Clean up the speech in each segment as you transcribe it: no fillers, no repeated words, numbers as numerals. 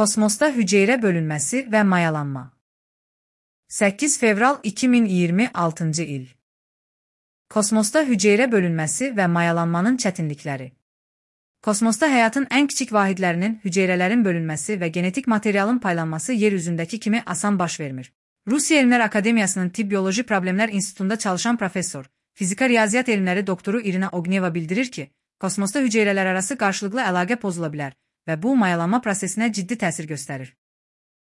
Kosmosda hüceyrə bölünməsi və mayalanma. 8 fevral 2026 il. Kosmosda hüceyrə bölünməsi və mayalanmanın çətinlikləri. Kosmosda həyatın ən kiçik vahidlərinin, hüceyrələrin bölünməsi və genetik materialın paylanması yer üzündəki kimi asan baş vermir. Rusiya Elmlər Akademiyasının Tibb Bioloji Problemlər İnstitutunda çalışan professor, fizika riyaziyyat elmləri doktoru Irina Ogneva bildirir ki, kosmosda hüceyrələr arası qarşılıqlı əlaqə pozula bilər və bu mayalanma prosesinə ciddi təsir göstərir.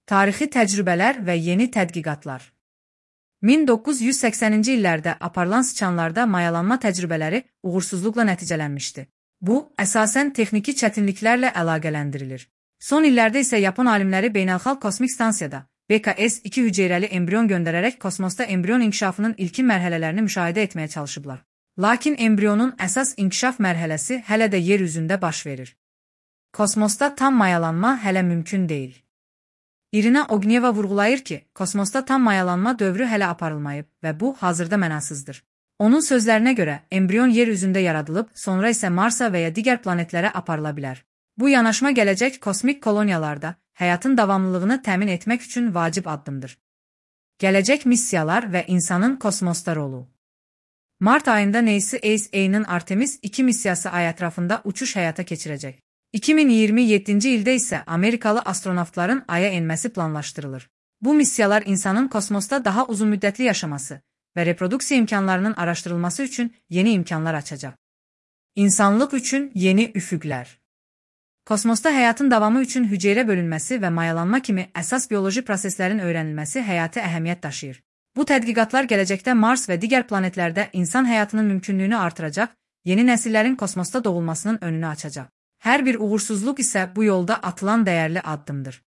Tarixi təcrübələr və yeni tədqiqatlar. 1980-ci illərdə aparılan sıçanlarda mayalanma təcrübələri uğursuzluqla nəticələnmişdi. Bu, əsasən texniki çətinliklərlə əlaqələndirilir. Son illərdə isə Yapon alimləri Beynəlxalq Kosmik Stansiyada BKS-2 hüceyrəli embrion göndərərək kosmosda embrion inkişafının ilkin mərhələlərini müşahidə etməyə çalışıblar. Lakin embrionun əsas inkişaf mərhələsi hələ də yer üzündə baş verir. Kosmosda tam mayalanma hələ mümkün deyil. Irina Ogneva vurğulayır ki, kosmosda tam mayalanma dövrü hələ aparılmayıb və bu hazırda mənasızdır. Onun sözlərinə görə, embrion yer üzündə yaradılıb, sonra isə Marsa və ya digər planetlərə aparıla bilər. Bu yanaşma gələcək kosmik koloniyalarda həyatın davamlılığını təmin etmək üçün vacib addımdır. Gələcək missiyalar və insanın kosmosda rolu. Mart ayında NASA-nin Artemis 2 missiyası ay ətrafında uçuş həyata keçirəcək. 2027-ci ildə isə Amerikalı astronavtların Aya enməsi planlaşdırılır. Bu missiyalar insanın kosmosda daha uzunmüddətli yaşaması və reproduksiya imkanlarının araşdırılması üçün yeni imkanlar açacaq. İnsanlıq üçün yeni üfüqlər. Kosmosda həyatın davamı üçün hüceyrə bölünməsi və mayalanma kimi əsas bioloji proseslərin öyrənilməsi həyati əhəmiyyət daşıyır. Bu tədqiqatlar gələcəkdə Mars və digər planetlərdə insan həyatının mümkünlüyünü artıracaq, yeni nəsillərin kosmosda doğulmasının önünü açacaq. Hər bir uğursuzluq isə bu yolda atılan dəyərli addımdır.